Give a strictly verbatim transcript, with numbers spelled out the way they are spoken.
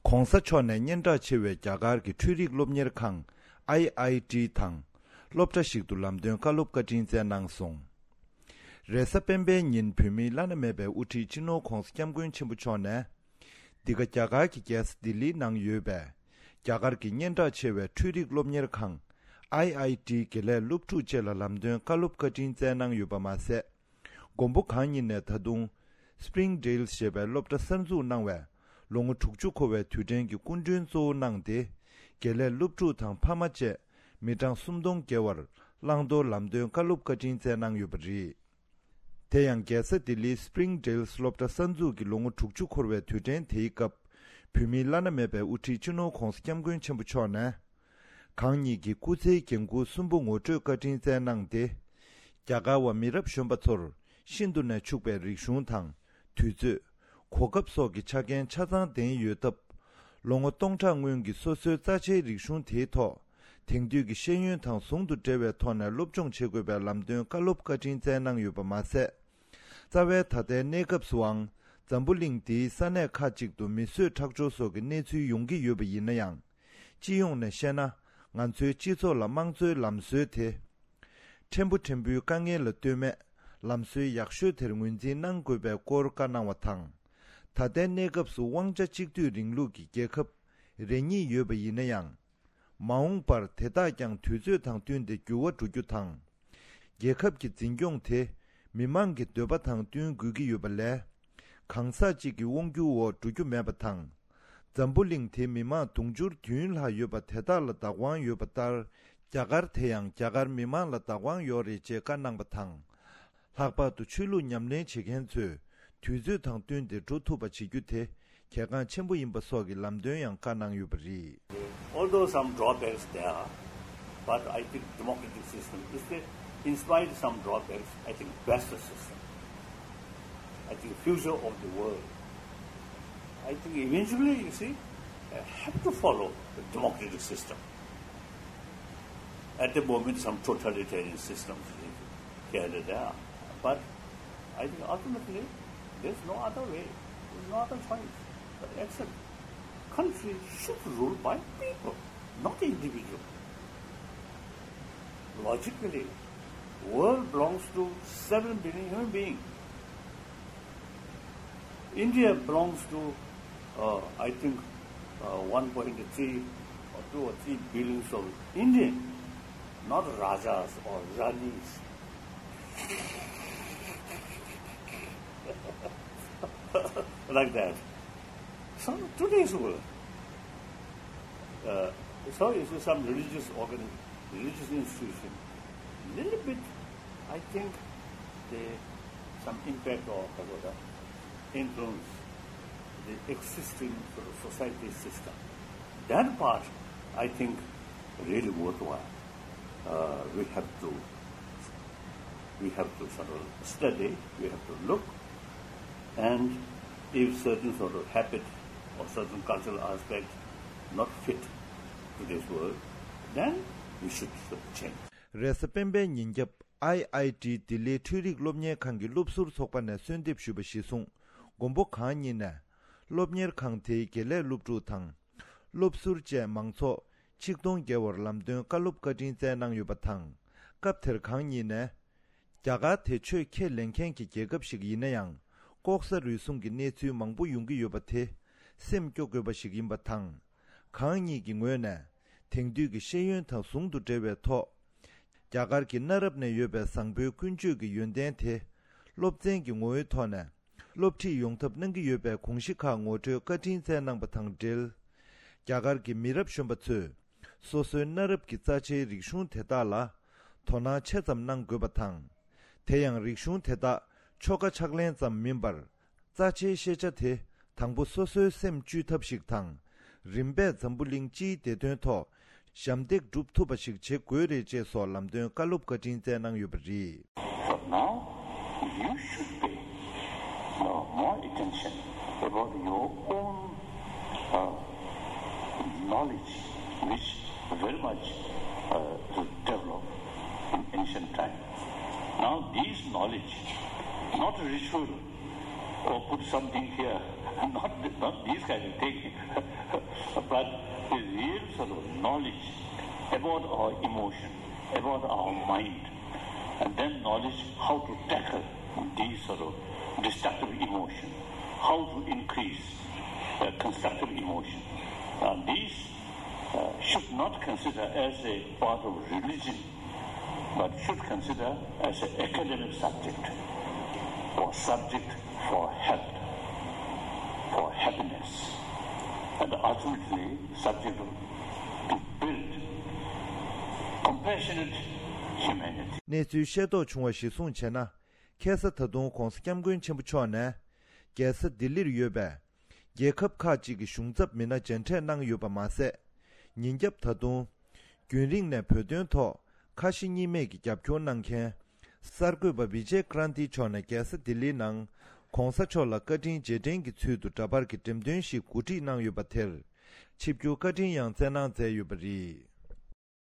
ྋགོང་ས་མཆོག་ནས་སྙན་གྲགས་ཆེ་བའི་རྒྱ་གར་གྱི་འཕྲུལ་རིག་སློབ་གཉེར་ཁང་ཨའི་ཨའི་ཊི་དང་སློབ་གྲྭ་ཞིག་ཏུ་ལམ་སྟོན་བཀའ་སློབ་བཀའ་དྲིན་སྩལ་གནང་སོང་། རེས་གཟའ་སྤེན་པའི་ཉིན་བོད་མིའི་བླ་ན་མེད་པའི་དབུ་ཁྲིད་སྤྱི་ནོར་ྋགོང་ས་ྋསྐྱབས་མགོན་ཆེན་པོ་མཆོག་ནས། འདི་ག་རྒྱ་གར་གྱི་རྒྱལ་ས་ལྡི་ལིའི་ནང་ཡོད་པའི་རྒྱ་གར་གྱི་སྙན་གྲགས་ཆེ་བའི་འཕྲུལ་རིག་སློབ་གཉེར་ཁང་ཨའི་ཨའི་ཊི་དགེ་ལས་སློབ་ཕྲུག་བཅས་ལ་ལམ་སྟོན་བཀའ་སློབ་བཀའ་དྲིན་སྩལ་གནང་ཡོད་པ་མ་ཟད། མགོན་པོ་གང་ཉིད་ནས་ད་དུང་Spring Dale ཞེས་པའི་སློབ་གྲྭ་གསར་འཛུགས་གནང་བའི་ལོ་ངོ་དྲུག་ཅུ་འཁོར་བའི་དུས་དྲན་གྱི་སྐུ་མགྲོན་གཙོ་བོ་གནང་སྟེ། དགེ་ལས་སློབ་ཕྲུག་དང་ཕ་མ་བཅས་མི་གྲངས་སུམ་སྟོང་བརྒལ་བར་བླང་དོར་ལམ་སྟོན་བཀའ་སློབ་བཀའ་དྲིན་སྩལ་གནང་ཡོད་པ་རེད། དེ་ཡང་རྒྱལ་ས་ལྡི་ལིའི་Spring Dale སློབ་གྲྭ་གསར་འཛུགས་ཀྱི་ལོ་ངོ་དྲུག་ཅུ་འཁོར་བའི་དུས་དྲན་དེའི་སྐབས། བོད་མིའི་བླ་ན་མེད་པའི་དབུ་ཁྲིད་སྤྱི་ནོར་ྋགོང་ས་ྋསྐྱབས་མགོན་ཆེན་པོ་མཆོག་ནས། གང་ཉིད་ཀྱི་སྐུ་ཚེའི་འགན་ཁུར་གསུམ་པོ་ངོ་སྤྲོད་བཀའ་དྲིན་སྩལ་གནང་སྟེ། རྒྱ་གར་བ་མི་རབས་གཞོན་པ་ཚོར་ཤིན་ཏུ་ནས་ཕྱུག་པའི་རིག་གཞུང་དང་། དུས་ཚོད། གོ་སྐབས་སོགས་ཀྱི་ཆ་རྐྱེན་ཆ་ཚང་ལྡན་ཡོད་སྟབས། ལོ་ངོ་སྟོང་ཕྲག་སྔོན་གྱི་སོ་སོའི་རྩ་ཆེའི་རིག་གཞུང་དེའི་ཐོག་དེང་དུས་ཀྱི་ཤེས་ཡོན་དང་ཟུང་དུ་འབྲེལ་བའི་ཐོག་ནས་སློབ་སྦྱོང་བྱེད་དགོས་པའི་ལམ་སྟོན་བཀའ་སློབ་བཀའ་དྲིན་སྩལ་གནང་ཡོད་པ་མ་ཟད། རྩ་བའི་ད་ལྟའི་གནས་སྐབས་སུའང་། འཛམ་བུ་གླིང་འདིའི་ས་གནས་ཁག་ཅིག་ཏུ་མི་གསོད་ཁྲག་སྦྱོར་སོགས་ཀྱི་གནས་ཚུལ་ཡོང་གི་ཡོད་པ་ཡིན་ན་ཡང་། སྤྱི་ཡོངས་ནས་བཤད་ན། ང་ཚོའི་སྤྱི་ཚོགས་ལ་དམངས་གཙོའི་ལམ་སྲོལ་དེ། ཕྲན་བུ་ཕྲན་བུའི་དཀའ་ངལ་ལ་ལྟོས་མེད། ལམ་སྲོལ་ཡག་ཤོས་དེར་ངོས་འཛིན་གནང་དགོས་པའི་སྐོར་བཀའ་གནང་བ་དང་། ད་ལྟའི་གནས་སྐབས་སུ་དབང་ཆ་གཅིག་སྡུད་རིང་ལུགས་ཀྱི་རྒྱལ་ཁབ་རེ་གཉིས་ཡོད་པ་ཡིན་ན་ཡང་། མ་འོངས་པར་དེ་དག་ཀྱང་དུས་ཚོད་དང་བསྟུན་ཏེ་འགྱུར་བ་འགྲོ་རྒྱུ་དང་། རྒྱལ་ཁབ་ཀྱི་འཛིན་སྐྱོང་དེ་མི་མང་གི་འདོད་པ་དང་བསྟུན་དགོས་ཀྱི་ཡོད་པ་ལས། གང་ཟག་གཅིག་གི་དབང་སྒྱུར་འོག་འགྲོ་རྒྱུ་མེད་པ་དང་། འཛམ་བུ་གླིང་དེའི་མི་མང་དུང་ཕྱུར་བདུན་ལྷག་ཡོད་པ་དེ་དག་ལ་བདག་དབང་ཡོད་པ་ལྟར། རྒྱ་གར་དེ་ཡང་རྒྱ་གར་མི་མང་ལ་བདག་དབང་ཡོད་རེད་ཅེས་བཀའ་གནང་བ་དང་། ལྷག་པར་དུ་ཆོས་ལུགས་ཉམས་ལེན་བྱེད་མཁན་ཚོས་དུས་ཚོད་དང་བསྟུན་ཏེ་འགྲོ་ཐུབ་པ་བྱེད་རྒྱུ་དེ་གལ་འགངས་ཆེན་པོ་ཡིན་པ་སོགས་ཀྱི་ལམ་སྟོན་ཡང་བཀའ་གནང་ཡོད་པ་རེད། Although some drawbacks there, but I think democratic system is the, in spite some drawbacks, I think best system. I think future of the world. I think eventually, you see, uh, have to follow the democratic system. At the moment, some totalitarian systems here and there. But I think ultimately, there's no other way, there's no other choice but accept. Country should rule by people, not individual. Logically, world belongs to seven billion human beings. India belongs to, uh, I think, uh, one point three or two or three billions of Indian, not Rajas or Ranis. Like that. So today's world, uh, so is some religious organ, religious institution, little bit, I think, the, some impact or whatever influence the existing sort of society system. That part, I think, really worthwhile. Uh, we have to, we have to sort of study, we have to look, and if certain sort of habit or certain cultural aspect not fit today's world, then we should sort of change. རེས་གཟའ་སྤེན་པའི་ཉིན་རྒྱབ་ཨའི་ཨའི་ཊི་ལྡི་ལིའི་འཕྲུལ་རིག་སློབ་གཉེར་ཁང་གི་སློབ་ཟུར་ཚོགས་པ་ནས་གསོལ་འདེབས་ཞུས་པ་གཞིར་བཟུང་། མགོན་པོ་གང་ཉིད་ནས་སློབ་གཉེར་ཁང་དེའི་དགེ་ལས་སློབ་ཕྲུག་དང་། སློབ་ཟུར་བཅས་མང་ཚོགས་ཆིག་སྟོང་བརྒལ་བར་ལམ་སྟོན་བཀའ་སློབ་བཀའ་དྲིན་སྩལ་གནང་ཡོད་པ་དང་། སྐབས་དེར་གང་ཉིད་ནས། རྒྱ་གར་དེ་ཆོས་ཁས་ལེན་མཁན་གྱི་རྒྱལ་ཁབ་ཞིག་ཡིན་ན་ཡང་། ལྐོག་ཟ་རུལ་སུངས་ཀྱི་གནས་ཚུལ་མང་པོ་ཡོང་གི་ཡོད་པ་དེ་སེམས་སྐྱོ་དགོས་པ་ཞིག་ཡིན་པ་དང་། གང་ཉིད་ཀྱི་ངོས་ནས་དེང་དུས་ཀྱི་ཤེས་ཡོན་དང་ཟུང་དུ་འབྲེལ་བའི་ཐོག་རྒྱ་གར་གྱི་གནའ་རབས་ནས་ཡོད་པའི་བཟང་པོའི་ཀུན་སྤྱོད་ཀྱི་ཡོན་ཏན་དེ་སློབ་ཚན་གྱི་ངོ་བོའི་ཐོག་ནས་སློབ་ཁྲིད་ཡོང་ཐབས་གནང་གི་ཡོད་པའི་དགོངས་གཞི་ཁག་ངོ་སྤྲོད་བཀའ་དྲིན་སྩལ་གནང་པ་དང་འབྲེལ། རྒྱ་གར་གྱི་མི་རབས་གཞོན་པ་ཚོས་སོ་སོའི་གནའ་རབས་ཀྱི་རྩ་ཆེའི་རིག་གཞུང་དེ་དག་ལ་དོ་སྣང་ཆེ་ཙམ་གནང་དགོས་པ་དང་། དེ་ཡང་རིག་གཞུང་དེ་དག་ཆོ་ག་ཕྱག་ལེན་ཙམ་མིན་པར། རྩ་ཆེའི་ཤེས་བྱ་དེ་དང་པོ་སོ་སོའི་སེམས་བཅོས་ཐབས་ཤིག་དང་། རིམ་པས་འཛམ་བུ་གླིང་སྤྱིའི་བདེ་དོན་ཐོག་ཞབས་འདེགས་སྒྲུབ་ཐུབ་པ་ཞིག་བྱེད་དགོས་རེད་ཅེས་སོགས་ལམ་སྟོན་བཀའ་སློབ་བཀའ་དྲིན་སྩལ་གནང་ཡོད་པ་རེད། But now you should pay, uh, more attention about your own, uh, knowledge, which very much, uh, developed in ancient time. Now these knowledge, not ritual, or put something here, not, not these kind of thing. A real sort of knowledge about our emotion, about our mind, and then knowledge how to tackle these sort of destructive emotion, how to increase uh, constructive emotion. Uh, these uh, should not consider as a part of religion, but should consider as an academic subject or subject for health, for happiness, and ultimately subject to build compassionate humanity. གནས་ཚུལ་ཤེས་རྟོགས་བྱུང་བ་གཞིར་བཟུང་བྱས་ན། ཁ་སང་ད་དུང་༧གོང་ས་༧སྐྱབས་མགོན་ཆེན་པོ་མཆོག་ནས། རྒྱལ་ས་ལྡི་ལིར་ཡོད་པའི་རྒྱལ་ཁབ་ཁག་ཅིག་གི་གཞུང་ཚབ་མི་སྣ་མཇལ་འཕྲད་གནང་ཡོད་པ་མ་ཟད། ཉིན་རྒྱབ་ད་དུང་རྒྱུན་རིང་ནས་བོད་དོན་ཐོག་ཁ་ཞེ་གཉིས་མེད་ཀྱི་རྒྱབ་སྐྱོར་གནང་མཁན་གསར་འགོད་པ་བི་ཇེ་ཀྲན་ཏི་མཆོག་ནས་རྒྱལ་ས་ལྡི་ལིའི་ནང་༧གོང་ས་མཆོག་ལ་བཀའ་དྲིན་རྗེས་དྲན་གྱི་ཚུལ་དུ་འདྲ་པར་གྱི་འགྲེམས་སྟོན་ཞིག་གོ་སྒྲིག་གནང་ཡོད་པ་དེར། ཆིབས་བསྒྱུར་བཀའ་དྲིན་ཡང་སྩལ་གནང་མཛད་ཡོད་པ་རེད།